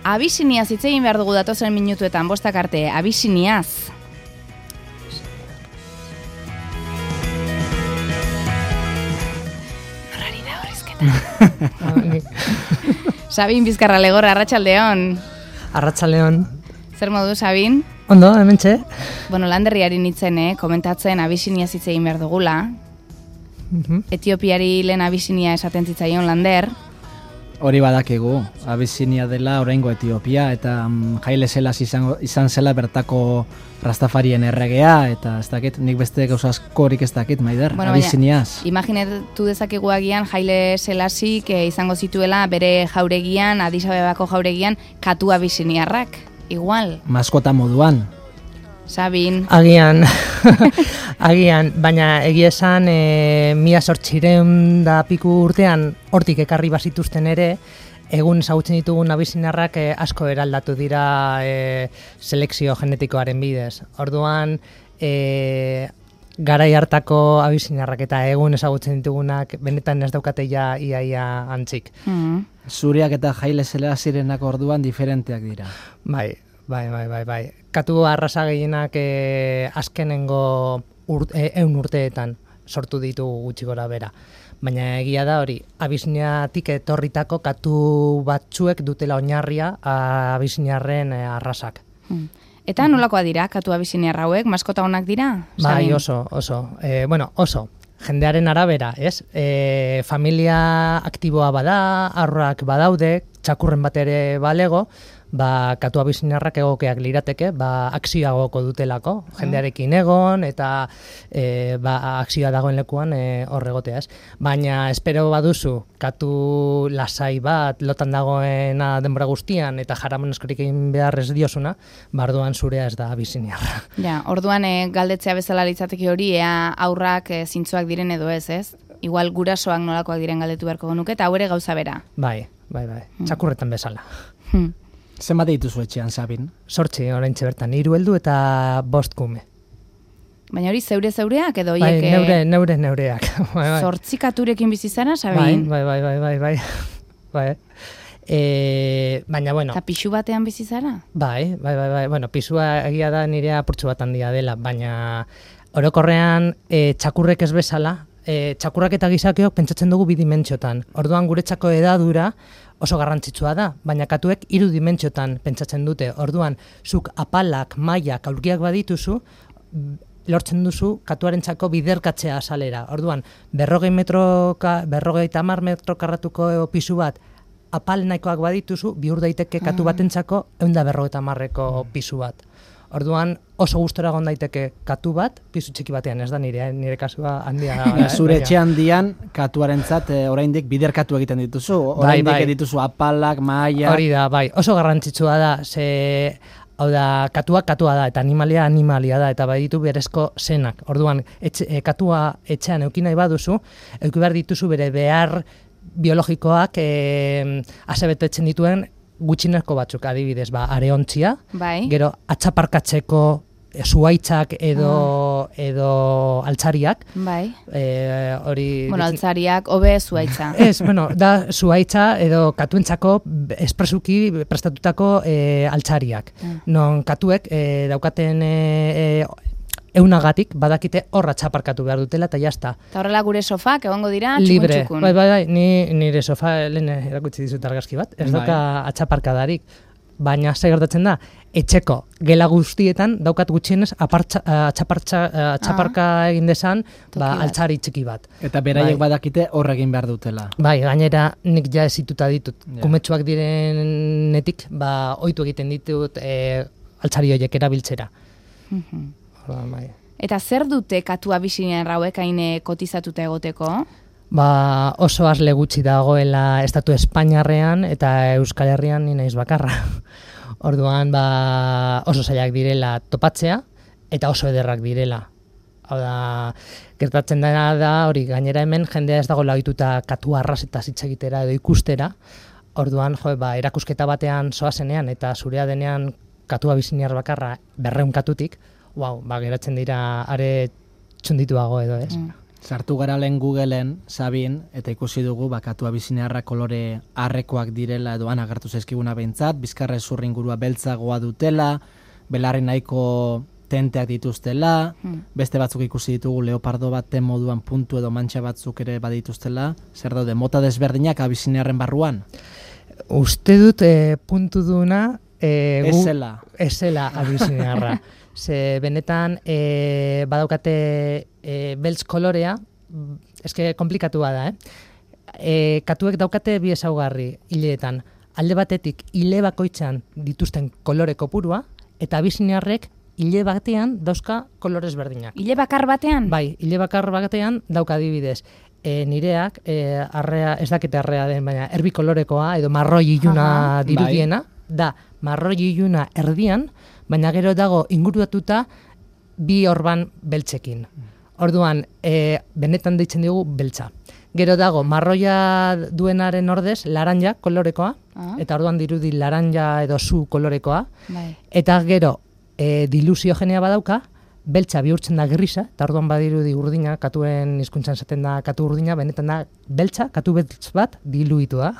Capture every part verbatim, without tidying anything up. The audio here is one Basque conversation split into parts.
Abisiniaz hitz egin behar dugu datozen minutuetan, bostak arte, Abisiniaz. Norrari da horrezketa. Sabin Bizkarra Legorra, arratsaldeon. Arratsaldeon. Zer modu, Sabin? Ondo, hementxe. Bueno, landerriari nintzen, eh? Komentatzen Abisiniaz hitz egin behar dugula. Uh-huh. Etiopiari lehen Abisinia esaten zitzaion lander. Hori badakigu, Abisinia dela oraingo Etiopia, eta um, Haile Selassie izan, izan zela bertako Rastafarien erregea, eta ez dakit, nik beste gauza askorik ez dakit, Maider, bueno, Abisiniaz. Imaginatu dezakegu agian Haile Selassie que izango zituela bere jauregian, Addis Abebako jauregian, katu abisiniarrak, igual. Maskota moduan. Sabin. Agian, agian, baina egia esan e, mila sortzireun da piku urtean hortik ekarri bazituzten ere, egun ezagutzen ditugun abisinarrak e, asko eraldatu dira e, selekzio genetikoaren bidez. Orduan, e, garai hartako abisinarrak eta egun ezagutzen ditugunak benetan ez daukate ja iaia antzik. Mm-hmm. Zuriak eta Haile Selassierenak orduan diferenteak dira. Bai. Bai, bai, bai, bai. Katu arrasa gehienak e, azkenengo urt, e, eun urteetan sortu ditu gutxi gora bera. Baina egia da hori, Abisiniatik etorritako katu batzuek dutela oinarria Abisiniarren e, arrasak. Hmm. Eta nolakoa dira katu abisiniar hauek, maskota onak dira? Bai, oso, oso. E, bueno, oso. Jendearen arabera, ez? E, familia aktiboa bada, arroak badaude, txakurren bat ere balego, ba, katu abisinarrak egokeak lirateke, ba, akzioa goko dutelako, jendearekin egon, eta e, ba, akzioa dagoen lekuan e, horregotea, ez. Baina espero baduzu, katu lasai bat, lotan dagoena denbora guztian, eta jaraman askorik egin behar ez diosuna, barduan zurea ez da abisiniarra. Ja, orduan e, galdetzea bezala litzateke hori, ea aurrak e, zintzoak diren edo ez, ez? Igual gurasoak nolakoak diren galdetu beharko genuke, eta hau ere gauza bera. Bai, bai, bai, txakurretan bezala. Hmm. Zenbat dituzu etxean, Sabin? Sortzi, oraintxe bertan, hiru heldu eta bost kume. Baina hori zeure-zeureak edo Bai, hiek... neure, neure, neureak. Bai, bai. Zortzi katurekin bizi zara, Sabin? Bai, bai, bai, bai, bai. bai. E, baina, bueno... Eta pixu batean bizi zara? Bai, bai, bai, bai. Bueno, pisua egia da nire apurtxu bat handia dela, baina orokorrean e, txakurrek ez bezala, e, txakurrak eta gizakeok pentsatzen dugu bi dimentsiotan. Orduan guretzako edadura oso garrantzitsua da, baina katuek hiru dimentsiotan pentsatzen dute. Orduan, zuk apalak, mailak, aulkiak badituzu, lortzen duzu katuarentzako biderkatzea azalera. Orduan, berrogei metroka, berrogei tamar metro karratuko pisu bat, apal nahikoak badituzu, bihur daiteke katu batentzako ehun eta berrogeita hamarreko pisu bat. Orduan, oso gustora egon daiteke katu bat, pisu txiki batean, ez da nire, nire kasua handia. Ja, zure etxe handian, katuarentzat e, oraindik biderkatu egiten dituzu, oraindik bai, bai. Dituzu apalak, maia... Hori da, bai, oso garrantzitsua da, ze, hau da, katua katua da, eta animalia animalia da, eta bai ditu berezko zenak. Orduan, etxe, e, katua etxean euki nahi baduzu, euki behar dituzu bere behar biologikoak e, asebetetzen dituen, gutxinezko batzuk, adibidez, ba, areontzia, bai. Gero atxaparkatzeko zuhaitzak edo, ah. edo altzariak. Bai. E, hori... Bueno, altzariak, hobe zuhaitza. Ez, bueno, da zuhaitza edo katuentzako espresuki prestatutako e, altzariak. Ah. Non katuek e, daukaten... E, eunagatik badakite horra txaparkatu behar dutela eta jazta. Eta horrela gure sofak egongo dira libre. Txukun-txukun. Bai, bai, bai, ni, nire sofa lehen erakutsi dizut argazki bat, ez bai. Dauka atxaparkadarik. Baina ze gertatzen da, etxeko gela guztietan daukat gutxienez apartza, atxapartza, atxaparka ah. egin desan ba, altzari txiki bat. Eta beraiek bai. Badakite horre egin behar dutela. Bai, gainera nik ja ezituta ditut. Ja. Kumetsuak direnetik, ba, ohitu egiten ditut e, altzari horiek erabiltzera. Mm-hmm. Bai. Eta zer dute katu abisiniar hauek hain kotizatuta egoteko? Ba, oso azle gutxi dagoela estatu Espainiarrean eta Euskal Herrian ni naiz bakarra. Orduan, ba, oso zailak direla topatzea eta oso ederrak direla. Hau da, gertatzen dena da, hori gainera hemen jendea ez dago lahituta katu arras eta hitz egitera edo ikustera. Orduan, jo, ba, erakusketa batean zoazenean eta zurea denean katu abisiniar bakarra berrehun katutik, wow, ba, geratzen dira are txundituago edo ez. Mm. Sartu gara lehen Googleen, Sabin, eta ikusi dugu bakatu abiziniarra kolore arrekoak direla edo han agertu zaizkiguna behintzat, bizkarra zurri ingurua beltzagoa dutela, belarri nahiko tenteak dituztela, hmm. beste batzuk ikusi ditugu leopardo baten moduan puntu edo mantxa batzuk ere badituztela, zer daude, mota desberdinak abiziniarren barruan? Uste dut e, puntu duna e, Ezela. Ezela abiziniarra. Ze benetan e, badaukate e, beltz kolorea, eske komplikatua da, eh? E, katuek daukate bi ezaugarri hileetan. Alde batetik hile bakoitzan dituzten kolore kopurua, eta abiziniarrek hile batean dauzka kolorez berdinak. Hile bakar batean? Bai, hile bakar batean dauka adibidez. E, nireak, e, arrea, ez dakite arrea den, baina erbi kolorekoa edo marroi iluna dirudiena, bai. Da marroi iluna erdian, baina gero dago inguratuta bi orban beltzekin. Orduan, e, benetan deitzen dugu beltza. Gero dago marroia duenaren ordez laranja kolorekoa, ah. eta orduan dirudi laranja edo zu kolorekoa, bai. Eta gero e, dilusiogenea badauka, beltza bihurtzen da grisa, eta orduan badirudi urdina, katuen hizkuntzan zaten da katu urdina, benetan da beltza, katu beltz bat diluitu da.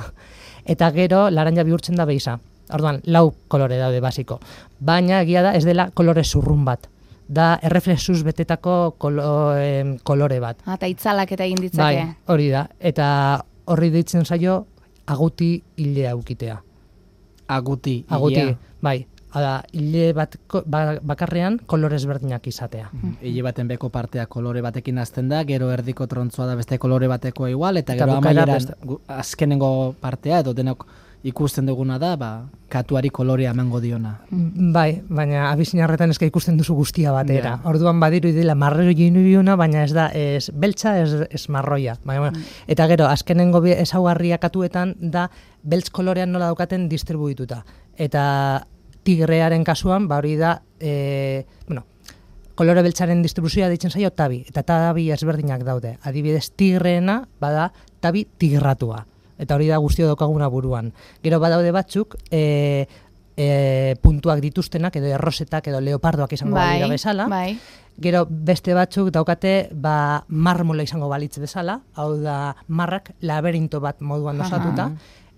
Eta gero laranja bihurtzen da beisa. Orduan, lau kolore daude basiko. Baina egia da ez dela kolore zurrun bat. Da erreflexuz betetako kolo, em, kolore bat. Ah, eta itzalak eta egin ditzake. Bai, hori da. Eta horri deitzen zaio aguti hilea ukitea. Aguti hilea? Aguti, bai. Hala, hile bat bakarrean kolorez berdinak izatea. Mm. Hile baten beko partea kolore batekin hasten da, gero erdiko trontzoa da beste kolore bateko igual, eta, eta gero amaieran best... azkenengo partea edo denok ikusten duguna da, ba, katuari kolorea emango diona. Bai, baina abizinarretan eska ikusten duzu guztia batera. Yeah. Orduan badiru idela marroi inubiuna, baina ez da, ez beltza, ez, ez marroia. Baina, mm. Eta gero, azkenengo ezaugarria katuetan da, beltz kolorean nola daukaten distribuituta. Eta tigrearen kasuan, ba hori da, e, bueno, kolore beltzaren distribuzioa deitzen zaio tabi, eta tabi ezberdinak daude. Adibidez, tigreena bada tabi tigratua. Eta hori da guztio daukaguna buruan. Gero badaude batzuk, e, e, puntuak dituztenak, edo errosetak, edo leopardoak izango bai, balira bezala. Bai. Gero beste batzuk daukate, ba, marmola izango balitz bezala, hau da marrak laberinto bat moduan osatuta,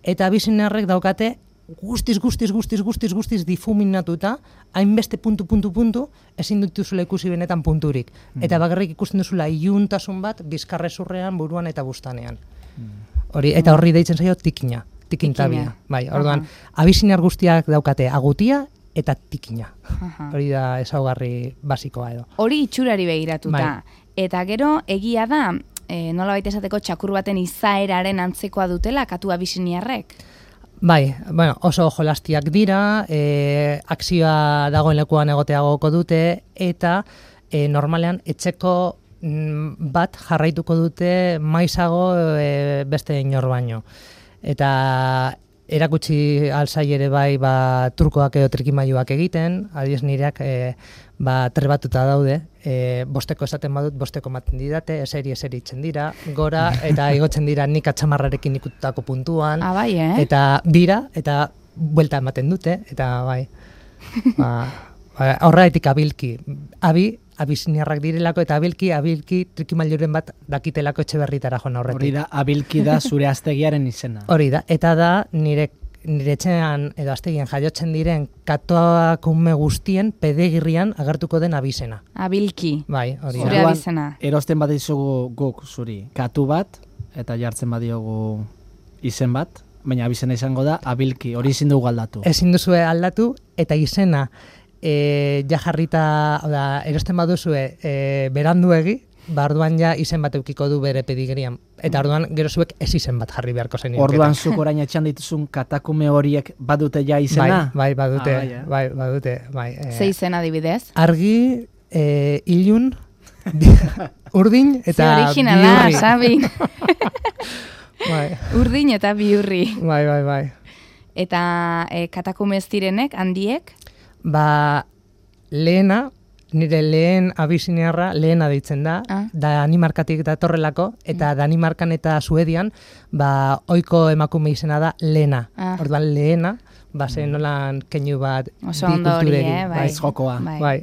eta abizinarrek daukate guztiz, guztiz, guztiz, guztiz, guztiz difuminatuta, hainbeste puntu, puntu, puntu, ezin dutuzula ikusi benetan punturik. Mm. Eta bakarrik ikusten duzula iluntasun bat, bizkarrezurrean, buruan eta bustanean. Mm. Hori, eta horri deitzen zaio tikina, tikintabia. Bai, orduan, uh-huh. abizinar guztiak daukate agutia eta tikina. Uh-huh. Hori da ezaugarri basikoa edo. Hori itxurari begiratuta. Bai. Eta gero, egia da, e, nola baita esateko txakur baten izaeraren antzekoa dutela katu abiziniarrek? Bai, bueno, oso jolastiak dira, e, akzioa dagoen lekuan egoteagoko dute, eta e, normalean etxeko m, bat jarraituko dute maizago e, beste inor baino. Eta erakutsi alzai ere bai ba, trukoak edo trikimailuak egiten, adiez nireak e, ba, trebatuta daude, e, bosteko esaten badut, bosteko maten didate, eseri eseri itzen dira, gora, eta igotzen dira nik atxamarrarekin ikututako puntuan, ah, bai, eh? Eta bira, eta buelta ematen dute, eta bai, ba, ba, horretik abilki, abi, abiziniarrak direlako, eta abilki, abilki trikimailuren bat dakitelako etxe berritara joan horretik. Hori da, abilki da zure aztegiaren izena. Hori da, eta da nire nire etxean edo aztegien jaiotzen diren katoakume guztien pedegirrian agertuko den abizena. Abilki. Bai, hori da. Zure abizena. Erosten bat izugu guk zuri katu bat, eta jartzen badiogu izen bat, baina abizena izango da abilki, hori ezin dugu aldatu. Ezin duzue aldatu, eta izena e, ja jarrita, oda, erosten baduzue e, beranduegi, ba, orduan ja izen bat eukiko du bere pedigrian. Eta orduan gero zuek ez izen bat jarri beharko zen. Orduan zuk orain etxan dituzun katakume horiek badute ja izena? Bai, bai, badute. Ah, bai, eh? bai, badute. Bai, eh. Ze izen adibidez? Argi, eh, ilun, urdin eta originala, biurri. Sabi. Bai. Urdin eta biurri. Bai, bai, bai. Eta eh, katakume ez direnek, handiek? Ba, lehena, nire lehen abiziniarra lehena deitzen da, ah. Danimarkatik datorrelako, eta mm. Danimarkan eta Suedian, ba, oiko emakume izena da Lena. Ah. Orduan lehena, ba, zen nolan keinu bat oso ondo hori, eh, bai. Baiz jokoa. Bai. Bai.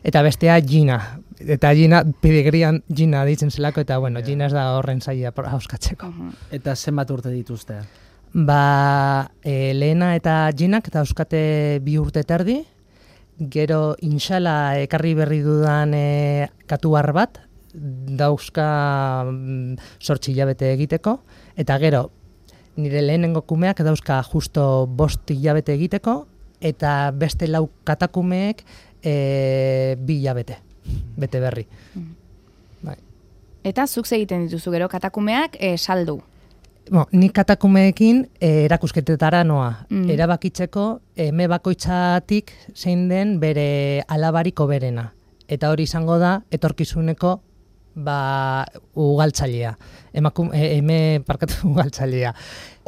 Eta bestea Gina. Eta Gina, pedigrian Gina ditzen zelako, eta bueno, Gina ez da horren zaila hauskatzeko. Eta zenbat urte dituzte? Ba, e, Lehena eta Ginak dauzkate bi urte terdi, gero insala ekarri berri dudan e, katuar bat, dauzka sortzi hilabete egiteko, eta gero nire lehenengo kumeak dauzka justo bost hilabete egiteko, eta beste lau katakumeek e, bi hilabete, bete berri. Mm. Bai. Eta zuk egiten dituzu gero katakumeak e, saldu. Bo, nik katakumeekin e, erakusketetara noa. Mm. Erabakitzeko eme bakoitzatik zein den bere alabariko berena. Eta hori izango da etorkizuneko ba, ugaltzailea. Emakum, e, eme parkatu ugaltzailea.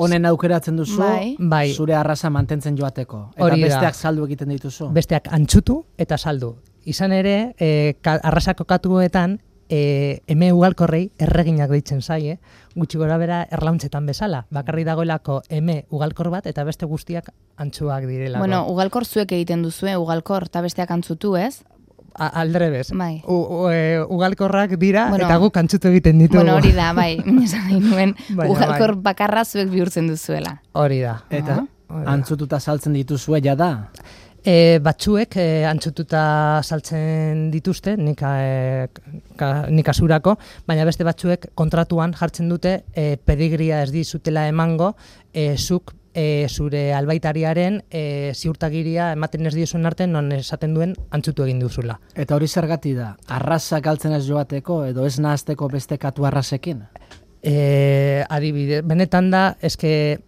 Honen aukeratzen duzu, bai. Bai. Zure arraza mantentzen joateko. Eta Hori da. besteak saldu egiten dituzu. Besteak antxutu eta saldu. Izan ere, e, ka, arrasako katuetan, e, eme ugalkorrei erreginak deitzen zaie, gutxi gora bera erlauntzetan bezala. Bakarri dagoelako eme ugalkor bat eta beste guztiak antxuak direlako. Bueno, ugalkor zuek egiten duzue, ugalkor, eta besteak antzutu, ez? Aldrebez. Bai. U, u, e, ugalkorrak dira Bueno, eta guk antzutu egiten ditugu. Bueno, hori da, bai, esan nahi nuen, Baina, ugalkor bai. bakarra zuek bihurtzen duzuela. Hori da. Eta Hori da. antzututa saltzen dituzue da. E, batzuek e, antzututa saltzen dituzte, nik, e, ka, nik asurako, baina beste batzuek kontratuan jartzen dute e, pedigria ez dizutela emango, e, zuk e, zure albaitariaren e, ziurtagiria ematen ez diozuen arte non esaten duen antzutu egin duzula. Eta hori zergati da, arraza galtzen ez joateko edo ez nahazteko beste katu arrasekin? E, adibide, benetan da, eske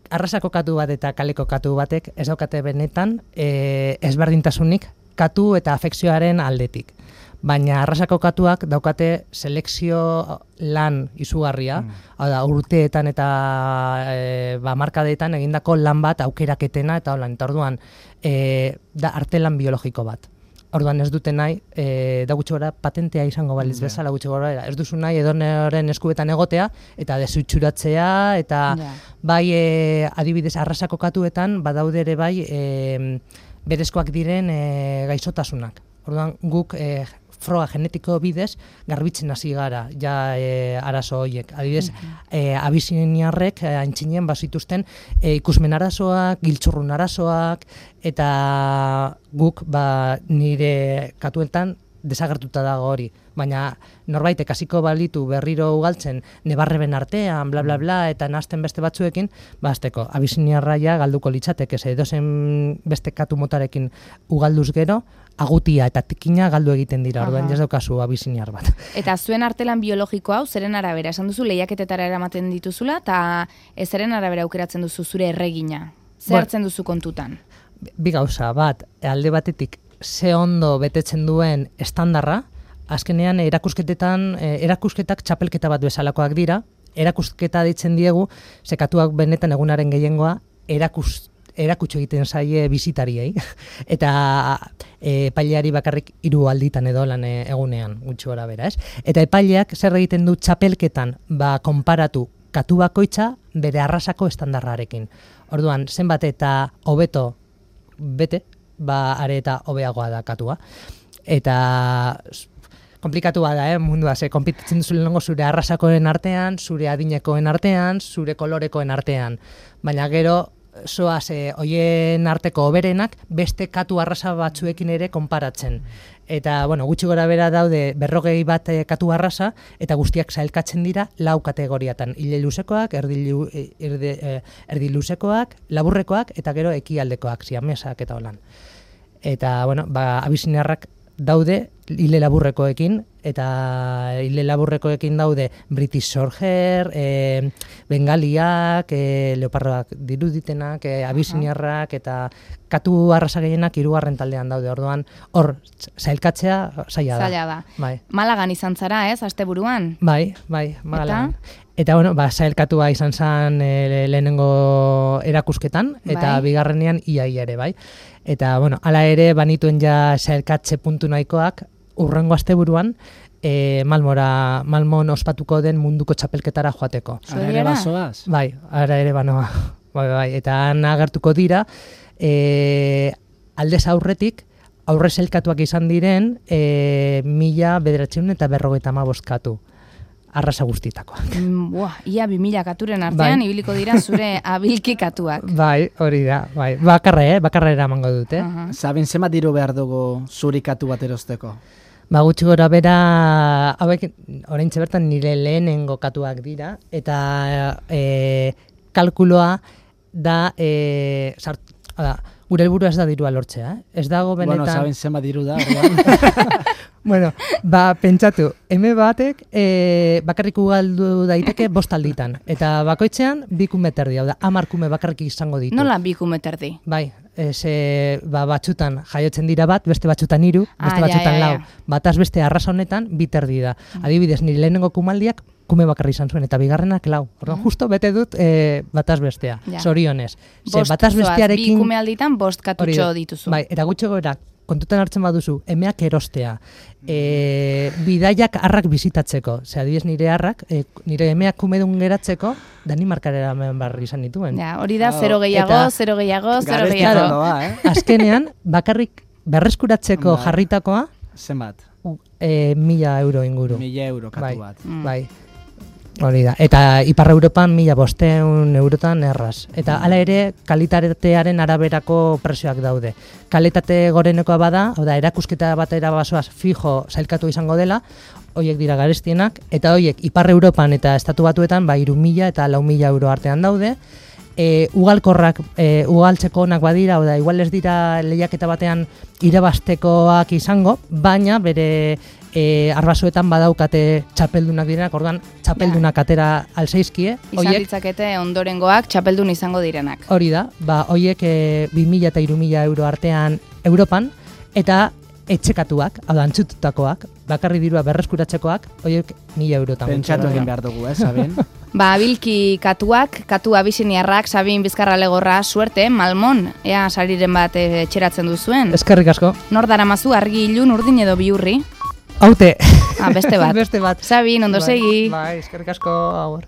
arrasako katu bat eta kaleko katu batek ez daukate benetan e, ezberdintasunik katu eta afekzioaren aldetik. Baina arrasako katuak daukate selekzio lan izugarria, mm. hau da, urteetan eta e, ba, markadeetan egindako lan bat aukeraketena eta holan, eta orduan e, da artelan biologiko bat. Orduan ez dute nahi, e, da gutxi gora patentea izango baliz Yeah. bezala gutxi gora, ez duzu nahi edonoren eskubetan egotea eta desutxuratzea eta Ja. bai e, adibidez arrasako katuetan badaude ere bai e, berezkoak diren e, gaixotasunak. Orduan guk e, froga genetiko bidez garbitzen hasi gara ja e, arazo horiek. Adibidez, e, abisiniarrek e, aintzinen bazituzten e, ikusmen arazoak, giltzurrun arazoak, eta guk ba, nire katuetan desagertuta dago hori. Baina norbaitek hasiko balitu berriro ugaltzen nebarreben artean, bla bla bla, eta nazten beste batzuekin, ba azteko, abisiniarraia galduko litzateke, ze edozen beste katu motarekin ugalduz gero, agutia eta tikina galdu egiten dira, orduan ez daukazu abisiniar bat. Eta zuen artelan biologiko hau, zeren arabera, esan duzu lehiaketetara eramaten dituzula, eta ez zeren arabera aukeratzen duzu zure erregina. Zer Bueno. hartzen duzu kontutan? Bi gauza, bat, alde batetik ze ondo betetzen duen estandarra, azkenean erakusketetan, eh, erakusketak txapelketa bat bezalakoak dira, erakusketa ditzen diegu, sekatuak benetan egunaren gehiengoa, erakus, erakutsu egiten zaie bisitariei, eta e, epaileari bakarrik hiru alditan edo lan e, egunean, gutxi gora bera, ez? Eta epaileak zer egiten du txapelketan, ba, konparatu katu bakoitza bere arrasako estandarrarekin. Orduan, zenbat eta hobeto bete, ba, are eta hobeagoa da katua. Eta komplikatua da, eh, mundua, ze konpititzen duzu lehenengo zure arrasakoen artean, zure adinekoen artean, zure kolorekoen artean. Baina gero, zoaz, e, hoien arteko oberenak beste katu arrasa batzuekin ere konparatzen. Eta, bueno, gutxi gora bera daude berrogei bat e, katu arrasa, eta guztiak sailkatzen dira lau kategoriatan. Ile luzekoak, erdi, lu, erdi, e, erdi luzekoak, laburrekoak, eta gero ekialdekoak, siamesak eta holan. Eta, bueno, ba, abisiniarrak daude hile laburrekoekin, eta hile laburrekoekin daude British Shorthair, e, bengaliak, e, leopardoak diruditenak, e, abisiniarrak, eta katu arrasa gehienak hirugarren taldean daude. Orduan, hor, sailkatzea zaila da. Zaila da. Bai. Malagan izan zara, ez, asteburuan? Bai, bai, Malagan. Eta, bueno, ba, sailkatua izan zen e, lehenengo erakusketan, eta Bai. bigarrenean iaia ere, bai. Eta, bueno, hala ere, banituen ja sailkatze puntu nahikoak, urrengo asteburuan, e, Malmora, Malmon ospatuko den munduko txapelketara joateko. Ara ere Zuera? bazoaz? Bai, ara ere banoa. Bai, bai, eta han agertuko dira, e, aldez aurretik, aurre zelkatuak izan diren e, mila bederatziehun eta berrogeita hamabost katu. Arrasa guztitakoak. Mm, buah, ia bi mila katuren artean, bai. Ibiliko dira zure abilki katuak. Bai, hori da, bai. Bakarra, eh? Bakarra eramango dute. Uh -huh. Sabin, zema diru behar dugu zuri katu bat erosteko? Ba, gutxi gora bera, hauek, oraintxe bertan nire lehenengo katuak dira, eta e, kalkuloa da, e, sart, da, gure helburua ez da dirua lortzea, eh? Ez dago benetan... Bueno, saben zema diru da, Bueno, ba, pentsatu, eme batek e, bakarrik ugaldu daiteke bost alditan. Eta bakoitzean bi kume terdi, hau da, hamar kume bakarrik izango ditu. Nola bi kume terdi? Bai, ze, ba, batxutan jaiotzen dira bat, beste batxutan hiru, beste ah, batxutan ja, ja, lau. ja. Bataz beste arrasa honetan, bi terdi da. Adibidez, nire lehenengo kumaldiak kume bakarri izan zuen, eta bigarrenak lau. Orduan, justo bete dut e, bataz bestea, ja. Zorionez. Ze, bost bataz bestearekin... Bi kume alditan bost katutxo dituzu. Bai, eta gutxo gora, kontutan hartzen baduzu, emeak erostea, e, bidaiak harrak bizitatzeko, ze adibidez nire harrak, e, nire emeak kumedun geratzeko, Danimarkarera hemen barri izan dituen. Ja, hori da, zero gehiago, zero gehiago, zero gehiago. Eh? Azkenean, bakarrik berreskuratzeko bai. jarritakoa, zenbat? E, mila euro inguru. Mila euro katu bai, bat. Mm. Bai. Hori da. Eta Ipar Europan mila bosteun eurotan erraz. Eta hala ere, kalitatearen araberako presioak daude. Kalitate gorenekoa bada, hau da, erakusketa batera basoaz fijo zailkatu izango dela, hoiek dira garestienak, eta hoiek Ipar Europan eta Estatu Batuetan, ba, hiru mila eta lau mila euro artean daude. E, ugalkorrak, e, ugaltzeko onak badira, hau da, igual ez dira lehiaketa batean irabaztekoak izango, baina bere e, arbasoetan badaukate txapeldunak direnak, orduan txapeldunak atera alzeizkie. Izan ditzakete ondorengoak txapeldun izango direnak. Hori da, ba, hoiek e, bi mila eta hiru mila euro artean Europan, eta etxekatuak, hau da, antzututakoak, bakarri dirua berreskuratzekoak, hoiek mila eurotan. Pentsatu egin behar dugu, eh, Sabin? Ba, abilki katuak, katu abisiniarrak, Sabin Bizkarra Legorra, suerte, Malmon, ea sariren bat etxeratzen duzuen. Eskerrik asko. Nor daramazu argi ilun urdin edo biurri? Haute. Ah, beste bat. Beste bat. Sabin, ondo segi. Bai, eskerrik asko, agur.